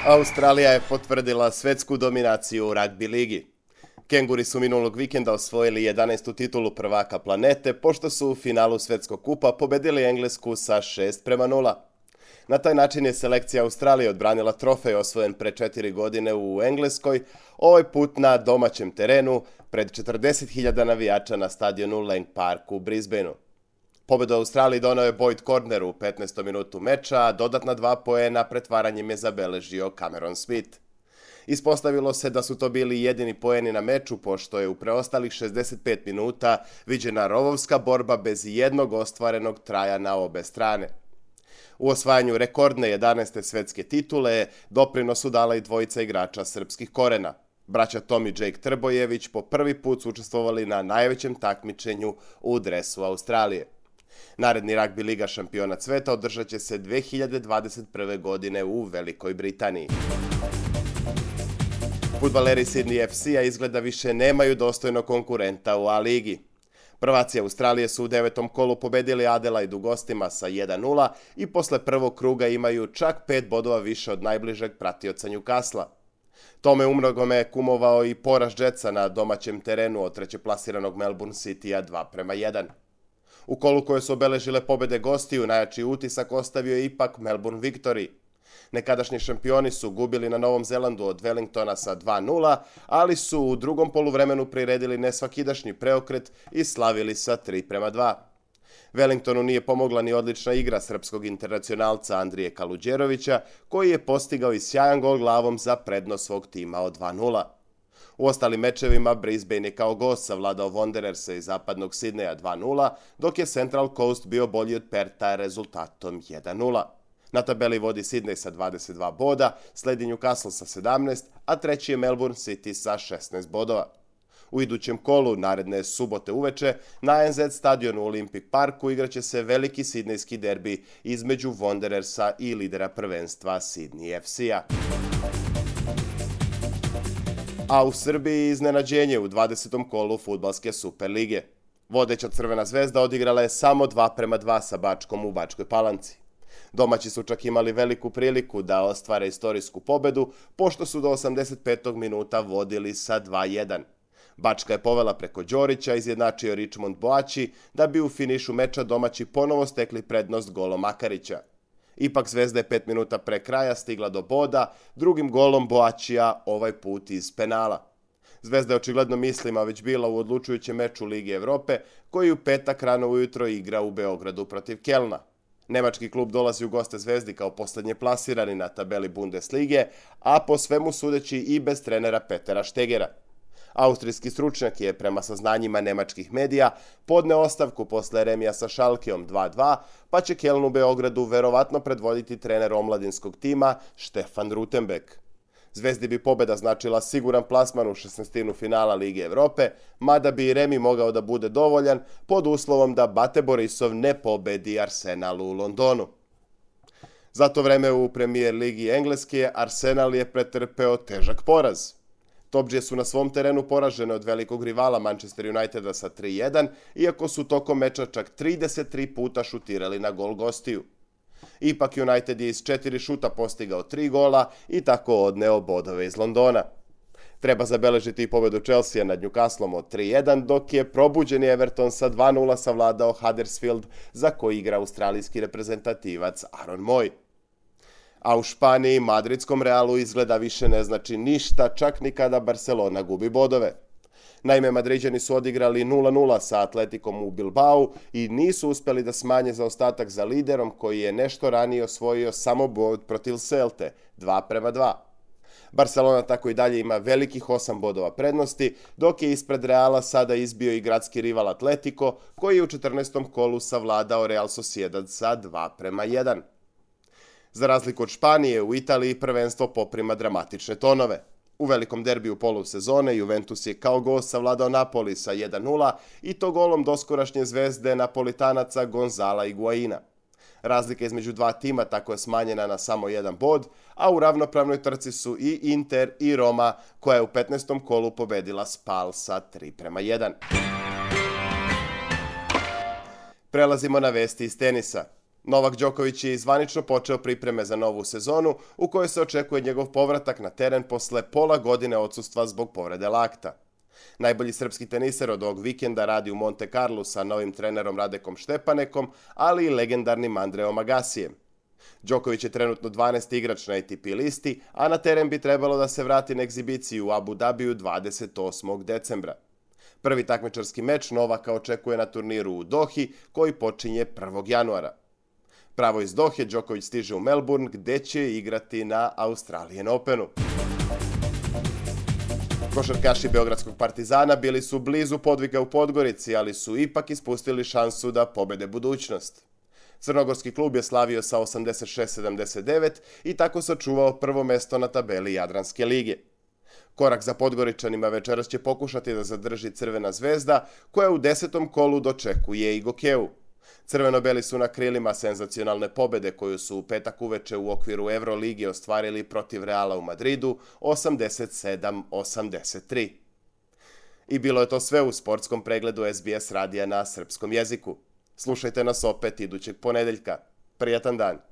Australija je potvrdila svetsku dominaciju u ragbi ligi. Kenguri su minulog vikenda osvojili 11. titulu prvaka planete, pošto su u finalu svetskog kupa pobedili Englesku sa 6:0. Na taj način je selekcija Australije odbranila trofej osvojen pre 4 godine u Engleskoj, ovaj put na domaćem terenu, pred 40.000 navijača na stadionu Lang Park u Brisbaneu. Pobedu Australiji donao je Boyd Cordner u 15. minutu meča, a dodatna 2 poena pretvaranjem je zabeležio Cameron Smith. Ispostavilo se da su to bili jedini poeni na meču, pošto je u preostalih 65 minuta viđena rovovska borba bez jednog ostvarenog traja na obe strane. U osvajanju rekordne 11. svetske titule doprinos su dala i dvojica igrača srpskih korena. Braća Tom i Jake Trbojević po prvi put su učestvovali na najvećem takmičenju u dresu Australije. Naredni ragbi liga šampiona sveta održat će se 2021. godine u Velikoj Britaniji. Fudbaleri Sydney FC-a izgleda više nemaju dostojnog konkurenta u A-ligi. Prvaci Australije su u 9. kolu pobedili Adelaide u gostima sa 1:0 i posle prvog kruga imaju čak 5 bodova više od najbližeg pratioca Newcastle-a. Tome umnogome kumovao i poraz Jetsa na domaćem terenu od trećeplasiranog Melbourne City-a 2:1. U kolu koje su obeležile pobede gostiju, najjači utisak ostavio je ipak Melbourne Victory. Nekadašnji šampioni su gubili na Novom Zelandu od Wellingtona sa 2:0, ali su u drugom poluvremenu priredili nesvakidašnji preokret i slavili sa 3:2. Wellingtonu nije pomogla ni odlična igra srpskog internacionalca Andrije Kaluđerovića, koji je postigao i sjajan gol glavom za prednost svog tima od 2:0. U ostalim mečevima Brisbane je kao gost savladao Wandererse iz zapadnog Sidneja 2:0, dok je Central Coast bio bolji od Perta rezultatom 1:0. Na tabeli vodi Sydney sa 22 boda, sledi Newcastle sa 17, a treći je Melbourne City sa 16 bodova. U idućem kolu, naredne subote uveče, na NZ stadionu u Olympic Parku igraće se veliki sidnejski derbi između Wanderersa i lidera prvenstva Sydney FC-a. A u Srbiji iznenađenje u 20. kolu fudbalske Super lige. Vodeća Crvena zvezda odigrala je samo 2:2 sa Bačkom u Bačkoj Palanci. Domaći su čak imali veliku priliku da ostvare istorijsku pobedu, pošto su do 85. minuta vodili sa 2:1. Bačka je povela preko Đorića, izjednačio Richmond Boači, da bi u finišu meča domaći ponovo stekli prednost golom Makarića. Ipak Zvezda je 5 minuta pre kraja stigla do boda, drugim golom Boačija, ovaj put iz penala. Zvezda je očigledno mislima već bila u odlučujućem meču Lige Evrope, koji u petak rano ujutro igra u Beogradu protiv Kelna. Nemački klub dolazi u goste Zvezdi kao poslednje plasirani na tabeli Bundeslige, a po svemu sudeći i bez trenera Petera Štegera. Austrijski stručnjak je, prema saznanjima nemačkih medija, podneo ostavku posle remija sa Schalkeom 2:2, pa će Keln u Beogradu verovatno predvoditi trener omladinskog tima Stefan Rutenbeck. Zvezdi bi pobeda značila siguran plasman u 16. finala Lige Evrope, mada bi i remi mogao da bude dovoljan pod uslovom da Bate Borisov ne pobedi Arsenal u Londonu. Za to vreme u Premier ligi Engleske Arsenal je pretrpeo težak poraz. Topdžije su na svom terenu poražene od velikog rivala Manchester Uniteda sa 3:1, iako su tokom meča čak 33 puta šutirali na gol gostiju. Ipak United je iz 4 šuta postigao 3 gola i tako odneo bodove iz Londona. Treba zabeležiti i pobedu Chelsea nad Newcastlom od 3:1, dok je probuđeni Everton sa 2:0 savladao Huddersfield, za koji igra australijski reprezentativac Aaron Moy. A u Španiji madridskom Realu izgleda više ne znači ništa, čak ni kada Barcelona gubi bodove. Naime, Madriđani su odigrali 0:0 sa Atletikom u Bilbao i nisu uspeli da smanje zaostatak za liderom koji je nešto ranije osvojio samo bod protiv Celte 2:2. Barcelona tako i dalje ima velikih 8 bodova prednosti, dok je ispred Reala sada izbio i gradski rival Atletico, koji je u 14. kolu savladao Real Sociedad sa 2:1. Za razliku od Španije, u Italiji prvenstvo poprima dramatične tonove. U velikom derbiju polusezone Juventus je kao gost savladao Napoli sa 1:0 i to golom doskorašnje zvezde Napolitanaca Gonzala Higuaina. Razlika između dva tima tako je smanjena na samo 1 bod, a u ravnopravnoj trci su i Inter i Roma, koja je u 15. kolu pobedila Spal sa 3:1. Prelazimo na vesti iz tenisa. Novak Đoković je zvanično počeo pripreme za novu sezonu u kojoj se očekuje njegov povratak na teren posle pola godine odsustva zbog povrede lakta. Najbolji srpski teniser od ovog vikenda radi u Monte Carlu sa novim trenerom Radekom Štepanekom, ali i legendarnim Andreom Agasijem. Đoković je trenutno 12. igrač na ATP listi, a na teren bi trebalo da se vrati na egzibiciju u Abu Dhabiju 28. decembra. Prvi takmičarski meč Novaka očekuje na turniru u Dohi, koji počinje 1. januara. Pravo iz Dohe, Đoković stiže u Melbourne, gde će igrati na Australian Openu. Košarkaši Beogradskog Partizana bili su blizu podviga u Podgorici, ali su ipak ispustili šansu da pobede budućnost. Crnogorski klub je slavio sa 86-79 i tako sačuvao prvo mesto na tabeli Jadranske lige. Korak za Podgoričanima večeras će pokušati da zadrži Crvena zvezda, koja u 10. kolu dočekuje i Gokeju. Crveno-beli su na krilima senzacionalne pobede koju su u petak uveče u okviru Evrolige ostvarili protiv Reala u Madridu 87-83. I bilo je to sve u sportskom pregledu SBS radija na srpskom jeziku. Slušajte nas opet idućeg ponedeljka. Prijatan dan!